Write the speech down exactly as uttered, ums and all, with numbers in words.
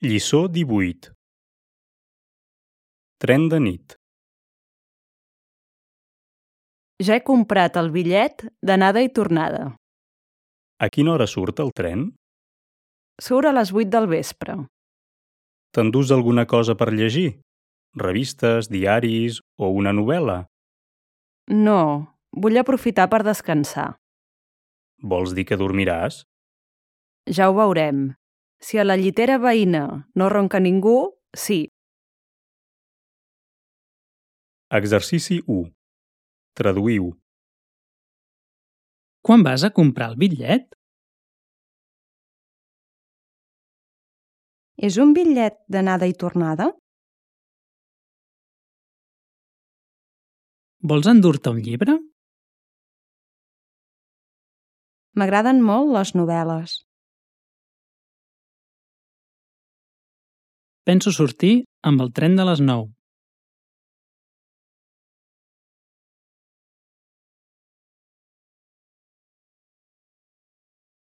Lliçó divuit. Tren de nit. Ja he comprat el bitllet d'anada i tornada. A quina hora surt el tren? Surt a les vuit del vespre. T'endús alguna cosa per llegir? Revistes, diaris o una novel·la? No, vull aprofitar per descansar. Vols dir que dormiràs? Ja ho veurem. Si a la llitera veïna no ronca ningú, sí. Exercici u. Traduïu. Quan vas a comprar el bitllet? És un bitllet d'anada i tornada? Vols endur-te un llibre? M'agraden molt les novel·les. Penso sortir amb el tren de les nou.